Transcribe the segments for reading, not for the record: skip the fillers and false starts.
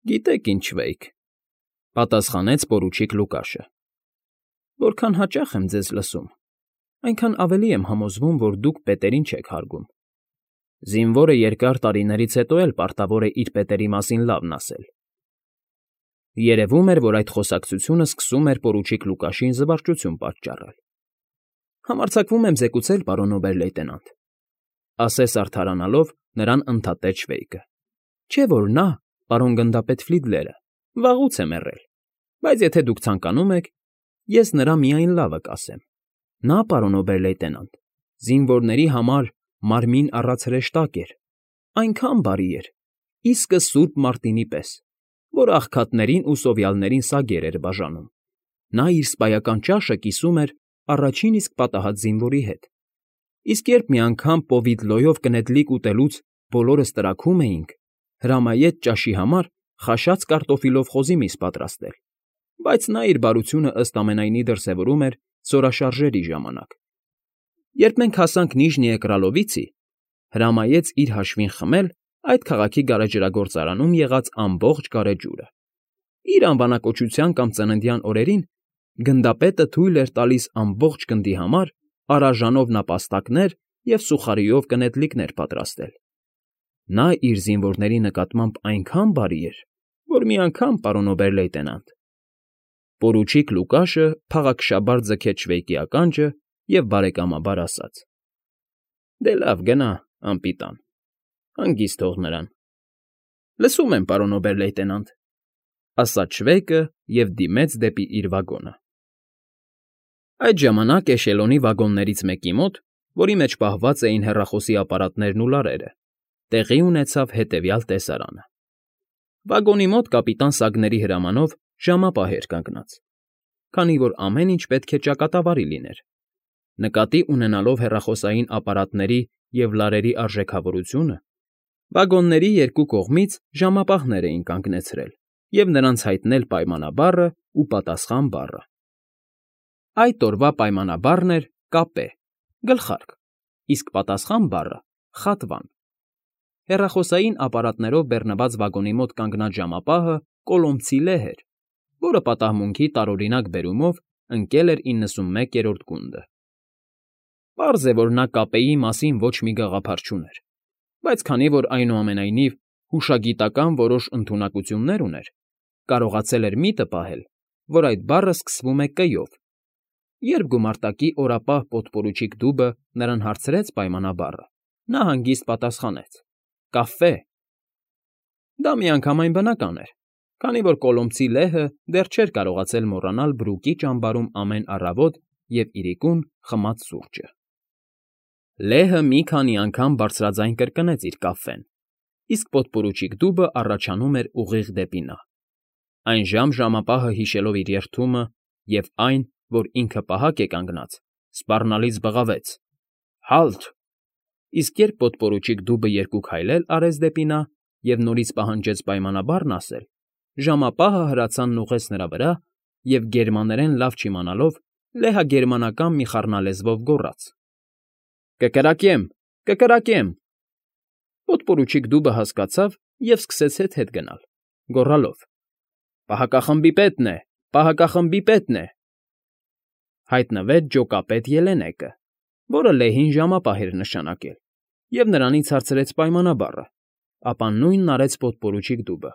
Գիտեք ինչ, Վեյք,֊ պատասխանեց պորուչիկ Լուկաշը։ Որքան հաճախ եմ ձեզ լսում, այնքան ավելի եմ համոզվում, որ դուք պետերին չեք հարգում։ Զինվորը երկար տարիներից հետո էլ պարտավոր է իր պետերի մասին լավն ասել։ Երևում էր, որ այդ խոսակցությունը սկսում էր պորուչիկ Լուկաշին զվարճություն պատճառել։ Համարձակվում եմ զեկուցել, պարոն օբեր֊լեյտենանտ, ասես արդարանալով նրան ընդհատեց Շվեյկը, չէ՞ որ նա, պարոն գնդապետ Ֆլիդլերը, վաղուց է մեռել, բայց եթե դուք ցանկանում եք, ես նրա միայն լավը կասեմ։ Նա, պարոն օբեր֊լեյտենանտ, զինվորների համար մարմին առած հրեշտակ էր, այնքան բարի էր, իսկը Սուրբ Մարտինի պես, որ աղքատներին ու սովյալներին սագեր էր բաժանում։ Նա իր սպայական ճաշը կիսում էր առաջին իսկ պատահած զինվորի հետ։ Իսկ երբ մի անգամ պովիդլոյով կնետլիկ ուտելուց բոլորս տրաքում էինք, հրամայեց ճաշի համար խաշած կարտոֆիլով խոզի միս պատրաստել, բայց նա իր բարությունը ըստ ամենայնի դրսևորում էր զորաշարժերի ժամանակ։ Երբ մենք հասանք Նիժնիե Կրալովիցի, հրամայեց իր հաշվին խմել այդ քաղաքի գարեջրագործարանում եղած ամբողջ գարեջուրը։ Իր անվանակոչության կամ ծննդյան օրերին գնդապետը թույլ էր տալիս ամբողջ գնդի համար արաժանով նապաստակներ և սուխարիով կնետլիկներ պատրաստել։ Նա իր զինվորների նկատմամբ այնքան բարի էր, որ մի անգամ, պարոն օբեր֊լեյտենանտ… Պորուչիկ Լուկաշը փաղաքշաբար ձգեց Շվեյկի ականջը և բարեկամաբար ասաց. Դե լավ, գնա, անպիտան, հանգիստ թող նրան։ Լսում եմ, պարոն օբեր֊լեյտենանտ, ասաց Շվեյկը և դիմեց դեպի իր վագոնը։ Այդ ժամանակ էշելոնի վագոններից մեկի մոտ, որի մեջ պահված էին հեռախոսի ապարատներն ու լարերը, տեղի ունեցավ հետևյալ տեսարանը. վագոնի մոտ կապիտան Սագների հրամանով ժամապահ էր կանգնած, քանի որ ամեն ինչ պետք է ճակատավարի լիներ։ Նկատի ունենալով հեռախոսային ապարատների և լարերի արժեքավորությունը, վագոնների երկու կողմից ժամապահներ էին կանգնեցրել և նրանց հայտնել պայմանաբառն ու պատասխան բառը։ Այդ օրվա պայմանաբառն էր կապե, գլխարկ, իսկ պատասխան բառը խատվան։ Հեռախոսային ապարատներով բեռնված վագոնի մոտ կանգնած ժամապահը Կոլոմցի լեհ էր, որը պատահմունքի տարօրինակ բերումով ընկել էր 91-րդ գունդը։ Պարզ է, որ նա կապեի մասին ոչ մի գաղափար չուներ, բայց քանի որ այնուամենայնիվ հուշագիտական որոշ ընդունակություններ ուներ, կարողացել էր միտը պահել, որ այդ բառը սկսվում է «կ»-ով։ Երբ գումարտակի օրապահ պոդպորուչիկ Դուբը նրան հարցրեց պայմանաբառը, նա հանգիստ պատասխանեց. «Կաֆե»։ Դա միանգամայն բնական էր, քանի որ Կոլոմցի լեհը դեռ չէր կարողացել մոռանալ Բրուկի ճամբարում ամեն առավոտ և իրիկուն խմած սուրճը։ Լեհը մի քանի անգամ բարձրաձայն կրկնեց իր կաֆեն, իսկ պոդպորուչիկ Դուբը առաջանում էր ուղիղ դեպի նա։ Այն ժամապահը հիշելով իր երդումը և այն, որ ինքը պահակ է կանգնած, սպառնալից բղավեց. «Հա՛լթ»։ Իսկ երբ պոդպորուչիկ Դուբը երկու քայլ էլ արեց դեպի նա և նորից պահանջեց պայմանաբառն ասել, ժամապահը հրացանն ուղղեց նրա վրա և, գերմաներեն լավ չիմանալով, լեհագերմանական մի խառնալեզվով գոռաց. «Կկրակեմ, կկրակեմ»։ Պոդպորուչիկ Դուբը հասկացավ և սկսեց հետ գնալ, գոռալով. «Պահակախմբի պետն է, պահակախմբի պետն է»։ Հայտնվեց ջոկապետ Ելենեկը, որը լեհին ժամապահ էր նշանակել, և նրանից հարցրեց պայմանաբառը, ապա նույնն արեց պոդպորուչիկ Դուբը։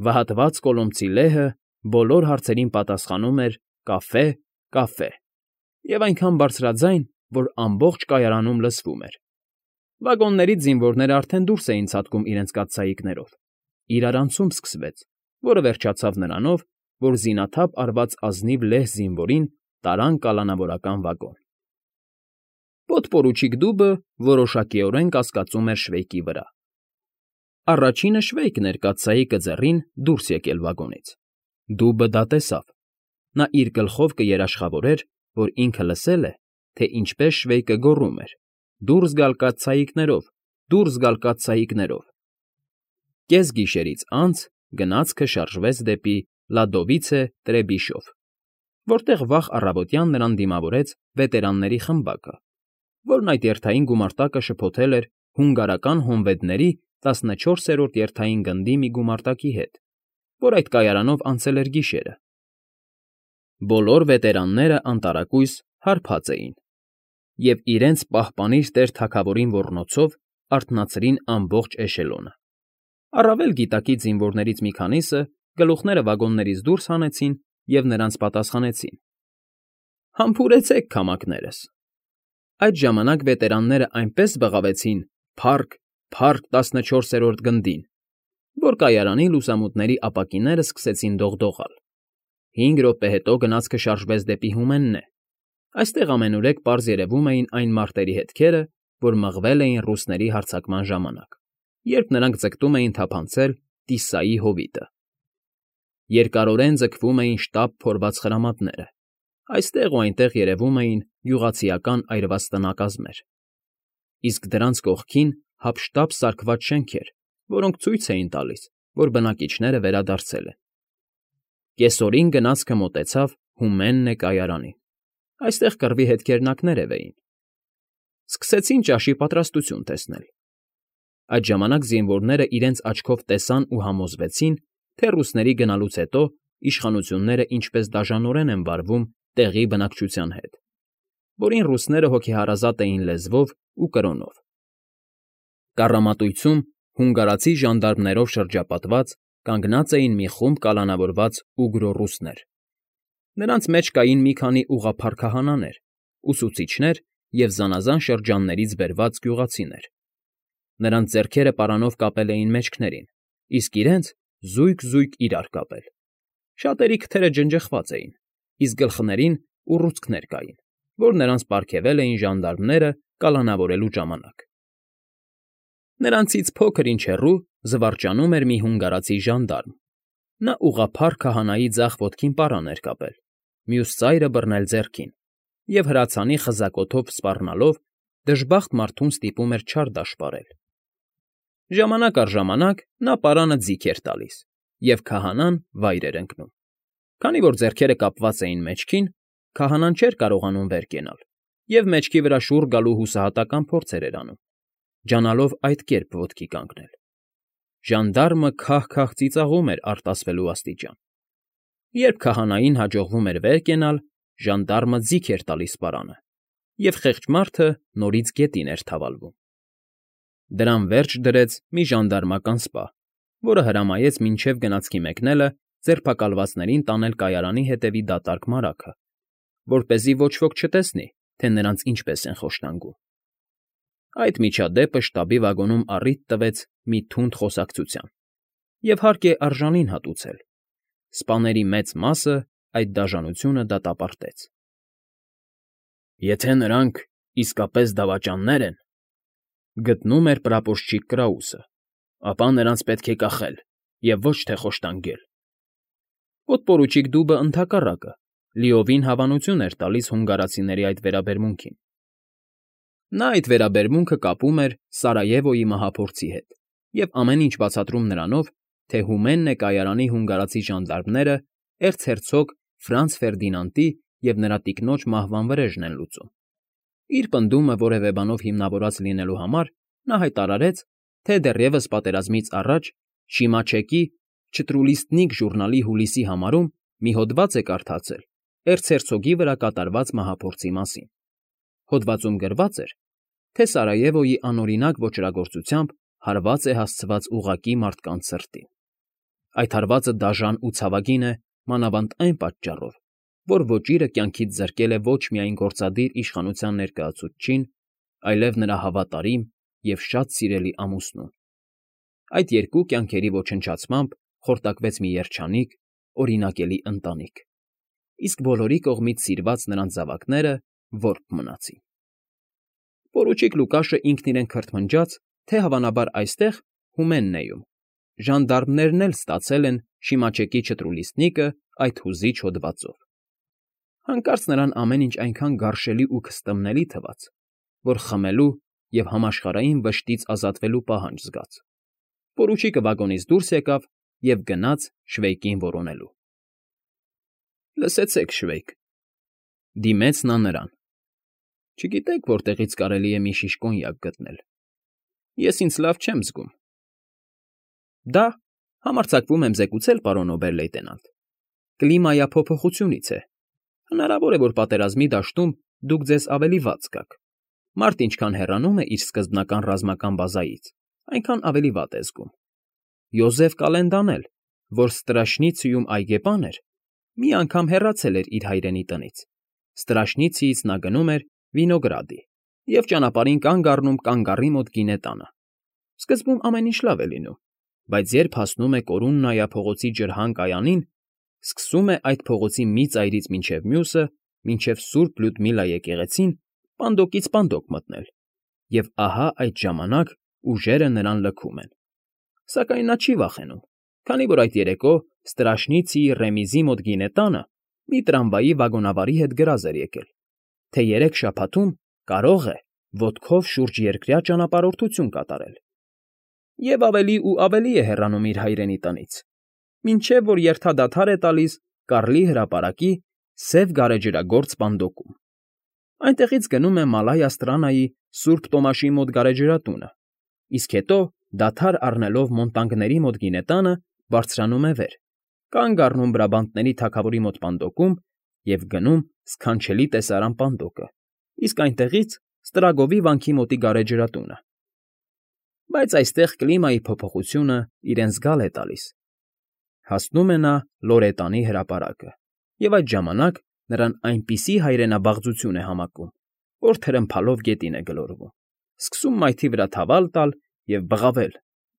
Վհատված Կոլոմցի լեհը բոլոր հարցերին պատասխանում էր «կաֆե, կաֆե» և այնքան բարձրաձայն, որ ամբողջ կայարանում լսվում էր։ Վագոններից զինվորները արդեն դուրս էին ցատկում իրենց կաթսայիկներով։ Իրարանցում սկսվեց, որը վերջացավ նրանով, որ զինաթափ արված ազնիվ լեհ զինվորին տարան կալանավորական վագոն։ Պոդպորուչիկ Դուբը որոշակիորեն կասկածում էր Շվեյկի վրա։ Առաջինը Շվեյկն էր կաթսայիկը ձեռին դուրս եկել վագոնից։ Դուբը դա տեսավ։ Նա իր գլխով կերաշխավորեր, որ ինքը լսել է, թե ինչպես Շվեյկը գոռում էր. «Դուրս գալ կաթսայիկներով, դուրս գալ կաթսայիկներով»։ Կեսգիշերից անց գնացքը շարժվեց դեպի Լադովիցե Տրեբիշով, որտեղ վաղ առավոտյան նրան դիմավորեց վետերանների խմբակը, որն այդ երթային գումարտակը շփոթել էր հունգարական հոնվեդների 14-րդ երթային գնդի մի գումարտակի հետ, որ այդ կայարանով անցել էր գիշերը։ Բոլոր վետերանները անտարակույս հարբած էին և իրենց պահպանիր տեր թագավորին ոռնոցով արթնացրին ամբողջ էշելոնը։ Առավել գիտակի զինվորներից մի քանիսը գլուխները վագոններից դուրս հանեցին և նրանց պատասխանեցին. «Համբուրեցեք, քամակներս»։ Այդ ժամանակ վետերանները այնպես բղավեցին «Փա՜ռք, փա՜ռք 14-րդ գնդին», որ կայարանի լուսամուտների ապակիները սկսեցին դողդողալ։ 5 րոպե հետո գնացքը շարժվեց դեպի Հումեննե։ Այստեղ ամենուրեք պարզ երևում էին այն մարտերի հետքերը, որ մղվել էին ռուսների հարձակման ժամանակ, երբ նրանք ձգտում էին թափանցել Տիսսայի հովիտը։ Երկարորեն ձգվում էին շտապ փորված խրամատները, այստեղ ու այնտեղ երևում էին գյուղացիական այրված տնակազմեր, իսկ դրանց կողքին հափշտապ սարքված շենքեր, որոնք ցույց էին տալիս, որ բնակիչները վերադարձել են։ Կեսօրին գնացքը մոտեցավ Հումեննե կայարանին։ Այստեղ կռվի հետքերն ակներև էին։ Սկսեցին ճաշի պատրաստություն տեսնել։ Այդ ժամանակ զինվորները իրենց աչքով տեսան ու համոզվեցին, թե ռուսների գնալուց հետո իշխանությունները ինչպես դաժանորեն են վարվում տեղի բնակչության հետ, որին ռուսները հոգեհարազատ էին լեզվով ու կրոնով։ Կառամատույցում հունգարացի ժանդարմներով շրջապատված կանգնած էին մի խումբ կալանավորված ուգրո ռուսներ։ Նրանց մեջ կային մի քանի ուղղափառ քահանաներ, ուսուցիչներ և զանազան շրջաններից բերված գյուղացիներ։ Նրանց ձեռքերը պարանով կապել էին մեջքներին, իսկ իրենց զույգ իրար կապել։ Շատերի քթերը ջնջխված էին, իսկ գլխներին ուռուցքներ կային, որ նրանց պարգևել էին ժանդարմները կալանավորելու ժամանակ։ Նրանցից փոքր ինչ հեռու զվարճանում էր մի հունգարացի ժանդարմ։ Նա ուղղափառ քահանայի ձախ ոտքին պարան էր կապել, մյուս ծայրը բռնել ձեռքին և հրացանի խզակոթով սպառնալով դժբախտ մարդուն ստիպում էր չար դաշտպարել։ Ժամանակ առ ժամանակ նա պարանը ձիգ էր տալիս, և քահանան վայր էր ընկնում։ Քանի որ ձեռքերը կապված էին մեջքին, քահանան չէր կարողանում վեր կենալ և մեջքի վրա շուռ գալու հուսահատական փորձեր էր անում, ջանալով այդ կերպ ոտքի կանգնել։ Ժանդարմը քահ֊քահ ծիծաղում էր արտասվելու աստիճան։ Երբ քահանային հաջողվում էր վեր կենալ, ժանդարմը ձիգ էր տալիս պարանը, և խեղճ մարդը նորից գետին էր թավալվում։ Դրան վերջ դրեց մի ժանդարմական սպա, որը հրամայեց մինչև գնացքի մեկնելը ձերբակալվածներին տանել կայարանի հետևի դատարկ մարագը, որպեսզի ոչ ոք չտեսնի, թե նրանց ինչպես են խոշտանգում։ Այդ միջադեպը շտաբի վագոնում առիթ տվեց մի թունդ խոսակցության, և հարկ է արժանին հատուցել. սպաների մեծ մասը այդ դաժանությունը դատապարտեց։ «Եթե նրանք իսկապես դավաճաններ են,֊ գտնում էր պրապորչիկ Կրաուսը,֊ ապա նրանց պետք է կախել և ոչ թե խոշտանգել»։ Պոդպորուչիկ Դուբը, ընդհակառակը, լիովին հավանություն էր տալիս հունգարացիների այդ վերաբերմունքին։ Նա այդ վերաբերմունքը կապում էր Սարայևոյի մահափորձի հետ և ամեն ինչ բացատրում նրանով, թե Հումեննե կայարանի հունգարացի ժանդարմները էրցհերցոգ Ֆրանց Ֆերդինանդի և նրա տիկնոջ մահվան վրեժն են լուծում։ Իր պնդումը որևէ բանով հիմնավորված լինելու համար նա հայտարարեց, թե դեռևս պատերազմից առաջ Շիմաչեկի Չտրուլիստնիկ ժուրնալի հուլիսի համարում մի հոդված է կարդացել էրցհերցոգի վրա կատարված մահափորձի մասին։ Հոդվածում գրված էր, թե Սարայևոյի անօրինակ ոճրագործությամբ հարված է հասցված ուղղակի մարդկանց սրտին։ Այդ հարվածը դաժան ու ցավագին է մանավանդ այն պատճառով, որ ոճիրը կյանքից զրկել է ոչ միայն գործադիր իշխանության ներկայացուցչին, այլև նրա հավատարիմ և շատ սիրելի ամուսնուն։ Այդ երկու կյանքերի ոչնչացմամբ խորտակվեց մի երջանիկ, օրինակելի ընտանիք, իսկ բոլորի կողմից սիրված նրանց զավակները որբ մնացին։ Պորուչիկ Լուկաշը ինքն իրեն քրթմնջաց, թե հավանաբար այստեղ, Հումեննեում, ժանդարմներն էլ ստացել են Շիմաչեկի Չտրուլիստնիկը այդ հուզիչ հոդվածով։ Հանկարծ նրան ամեն ինչ այնքան գարշելի ու քստմնելի թվաց, որ խմելու և համաշխարհային վշտից ազատվելու պահանջ զգաց։ Պորուչիկը վագոնից դուրս եկավ և գնաց Շվեյկին որոնելու։ «Լսեցեք, Շվեյկ,֊ դիմեց նա նրան,֊ չգիտեք որտեղից կարելի է մի շիշ կոնյակ գտնել։ Ես ինձ լավ չեմ զգում։ Դա, համարձակվում եմ զեկուցել, պարոն օբեր֊լեյտենանտ, կլիմայափոփոխությունից է։ Հնարավոր է, որ պատերազմի դաշտում դուք ձեզ ավելի վատ զգաք։ Մարդ ինչքան հեռանում է իր սկզբնական ռազմական բազայից, այնքան ավելի վատ է զգում։ Յոզեֆ Կալենդան էլ, որ Ստրաշնիցիում այգեպան էր, մի անգամ հեռացել էր իր հայրենի տնից։ Ստրաշնիցիից նա գնում էր Վինոգրադի և ճանապարհին կանգ առնում կանգառի մոտ գինե տանը։ Սկզբում ամեն ինչ լավ է լինում, բայց երբ հասնում է Կորուննայա փողոցի ջրհան կայանին, սկսում է այդ փողոցի մի ծայրից մինչև մյուսը, մինչև Սուրբ Լյուդմիլա եկեղեցին, պանդոկից պանդոկ մտնել, և ահա այդ ժամանակ ուժերը նրան լքում են։ Սակայն նա չի վախենում, քանի որ այդ երեկո Ստրաշնիցիի Ռեմիզի մոտ գինե տանը մի տրամվայի վագոնավարի հետ գրազ էր եկել, թե 3 շաբաթում կարող է ոտքով շուրջերկրյա ճանապարհորդություն կատարել։ Եվ ավելի ու ավելի է հեռանում իր հայրենի տնից, մինչև որ երթադադար է տալիս Կարլի հրապարակի Սև գարեջրագործ պանդոկում։ Այնտեղից գնում է Մալայա Ստրանայի Սուրբ Տոմաշի մոտ գարեջրատունը, իսկ հետո, դադար առնելով Մոնտանգների մոտ գինե տանը, բարձրանում է վեր, կանգ առնում Բրաբանտների թագավորի մոտ պանդոկում և գնում սքանչելի տեսարան պանդոկը, իսկ այնտեղից Ստրագովի վանքի մոտի գարեջրատունը։ Բայց այստեղ կլիմայի փոփոխությունը իրեն զգալ է տալիս։ Հասնում է նա Լորետանի հրապարակը, և այդ ժամանակ նրան այնպիսի հայրենաբաղձություն է համակում, որ թրմփալով գետին է գլորվում, սկսում մայթի վրա թավալ տալ և բղավել.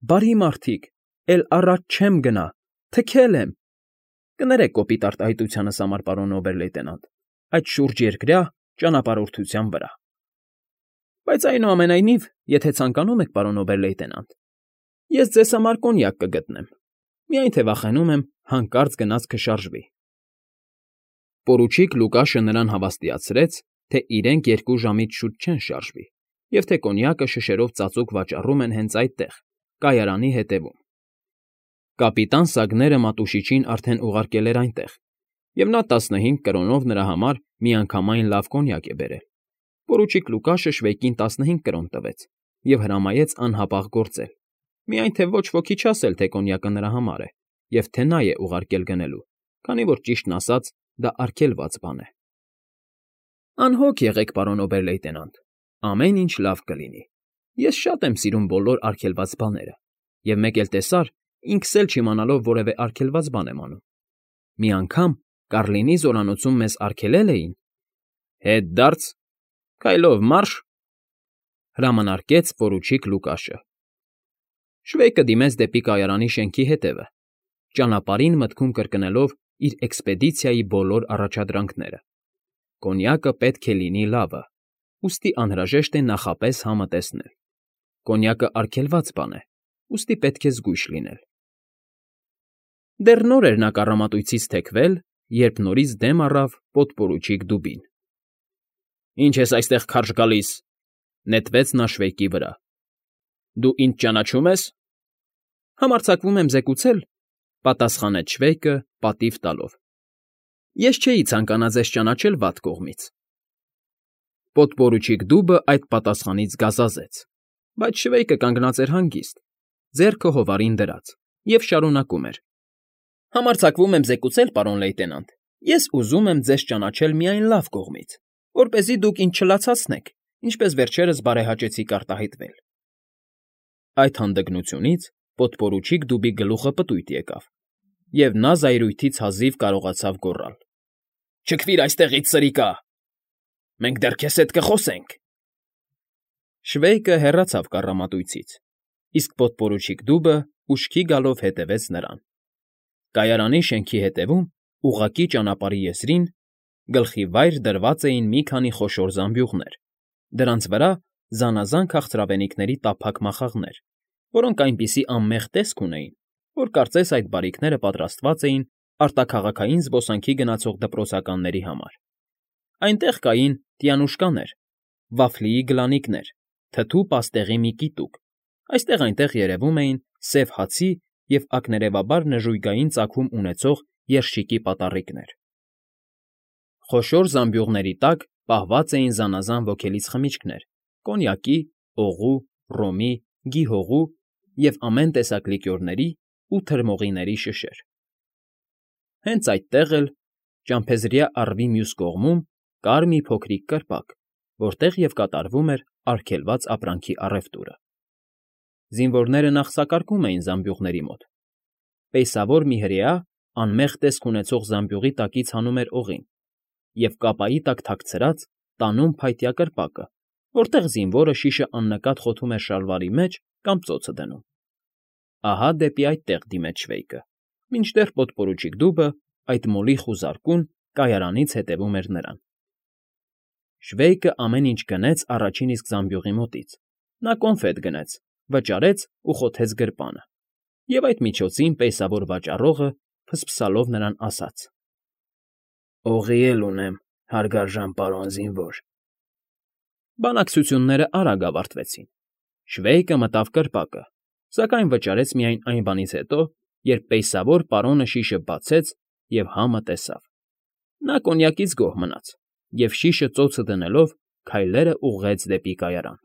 «Բարի մարդիկ, էլ առաջ չեմ գնա, թքել եմ»։ Կներեք կոպիտ արտահայտությանս համար, պարոն օբեր֊լեյտենանտ, այդ շուրջերկրյա ճանապարհորդության վրա։ Բայց այնուամենայնիվ, եթե ցանկանում եք, պարոն օբեր֊լեյտենանտ, ես ձեզ համար կոնյակ կգտնեմ, միայն թե վախենում եմ հանկարծ գնաց կշարժվի։ Պորուչիկ Լուկաշը նրան հավաստիացրեց, թե իրենք 2 ժամից շուտ չեն շարժվի, և թե կոնյակը շշերով ծածուկ վաճառում են հենց այդտեղ, կայարանի հետևում։ Կապիտան Սագները Մատուշիչին արդեն ուղարկել էր այնտեղ, և նա 15 կրոնով նրա համար միանգամայն լավ կոնյակ է բերել։ Պորուչիկ Լուկաշը շվեյկին 15 կրոն տվեց և հրամայեց անհապաղ գործել, միայն թե ոչ ոքի չասել, թե կոնյակը նրա համար է, և թե նա է ուղարկել գնելու, քանի որ, ճիշտն ասած, դա արգելված բան է։ Անհոգ եղեք, պարոն օբեր֊լեյտենանտ, ամեն ինչ լավ կլինի։ Ես շատ եմ սիրում բոլոր արգելված բաները, և մեկ էլ տեսար, ինքս էլ չիմանալով որևէ արգելված բան եմ անում։ Մի անգամ Կարլինի զորանոցում մեզ արգելել էին։ Հետդարձ, քայլով մարշ, հրամանարկեց պորուչիկ Լուկաշը։ Շվեյկը դիմեց դեպի կայարանի շենքի հետևը, ճանապարհին մտքում կրկնելով իր էքսպեդիցիայի բոլոր առաջադրանքները։ Կոնյակը պետք է լինի լավը, ուստի անհրաժեշտ է նախապես համը տեսնել։ Կոնյակը արգելված բան է, ուստի պետք է զգույշ լինել։ Դեռ նոր էր նա կառամատույցից թեքվել, երբ նորից դեմ առավ պոդպորուչիկ Դուբին։ «Ինչ ես այստեղ քարշ գալիս,֊ նետվեց նա շվեյկի վրա,֊ դու ինձ ճանաչում ես»։ Համարձակվում եմ զեկուցել,֊ պատասխանեց շվեյկը պատիվ տալով։ Ես չէի ցանկանա ձեզ ճանաչել վատ կողմից։ Պոդպորուչիկ Դուբը այդ պատասխանից գազազեց, բայց շվեյկը կանգնած էր հանգիստ, ձեռքը հովարին դրած, և շարունակում էր. «Համարձակվում եմ զեկուցել, պարոն լեյտենանտ, ես ուզում եմ ձեզ ճանաչել միայն լավ կողմից, որպեսզի դուք ինձ չլացացնեք, ինչպես վերջերս բարեհաճեցիք արտահայտվել»։ Այդ հանդգնությունից պոդպորուչիկ Դուբի գլուխը պտույտ եկավ, և նա զայրույթից հազիվ կարողացավ գոռալ. «Չքվիր այստեղից, սրիկա… Մենք դեռ քեզ հետ կխոսենք»։ Շվեյկը հեռացավ կառամատույցից, իսկ պոդպորուչիկ Դուբը ուշքի գալով հետևեց նրան։ Կայարանի շենքի հետևում, ուղղակի ճանապարհի եզրին, գլխի վայր դրված էին մի քանի խոշոր զամբյուղներ, դրանց վրա զանազան քաղցրավենիքների տափակ մախաղներ, որոնք այնպիսի անմեղ տեսք ունեին, որ կարծես այդ բարիքները պատրաստված էին արտաքաղաքային զբոսանքի գնացող դպրոցականների համար։ Այնտեղ կային տյանուշկաներ, վաֆլիի գլանիկներ, թթու պաստեղի մի կիտուկ, այստեղ֊այնտեղ երևում էին սև հացի և ակներևաբար նժույգային ծագում ունեցող երշիկի պատառիկներ։ Խոշոր զամբյուղների տակ պահված էին զանազան ոգելից խմիչքներ՝ կոնյակի, օղու, ռոմի, գիհողու և ամեն տեսակ լիկյորների ու թրմողիների շշեր։ Հենց այդտեղ էլ, ճամփեզրյա առվի մյուս կողմում, կար մի փոքրիկ կրպակ, որտեղ և կատարվում էր արգելված ապրանքի առևտուրը։ Զինվորները նախսակարկում էին զամբյուղների մոտ։ Պեյսավոր մի հրեա անմեղ տեսք ունեցող զամբյուղի տակից հանում էր օղին և կապայի տակ թաքցրած տանում փայտյա կրպակը, որտեղ զինվորը շիշը աննկատ խոթում էր շալվարի մեջ կամ ծոցը դնում։ Ահա դեպի այդտեղ դիմեց Շվեյկը, մինչդեռ պոդպորուչիկ Դուբը, այդ մոլիխ ու զարկուն, կայարանից հետևում էր նրան։ Շվեյկը ամեն ինչ գնեց առաջին իսկ զամբյուղի մոտից։ Նա կոնֆետ գնեց, վճարեց ու խոթեց գրպանը, և այդ միջոցին պեյսավոր վաճառողը, ֆսֆսալով նրան ասաց. «Օղի էլ ունեմ, հարգարժան պարոն զինվոր»։ Բանակցություններն արագ ավարտվեցին։ Շվեյկը մտավ կրպակը, սակայն վճարեց միայն այն բանից հետո, երբ պեյսավոր պարոնը շիշը բացեց և համը տեսավ։ Նա կոնյակից գոհ մնաց և, շիշը ծոցը դնելով, քայլերն ուղղեց դեպի կայարան։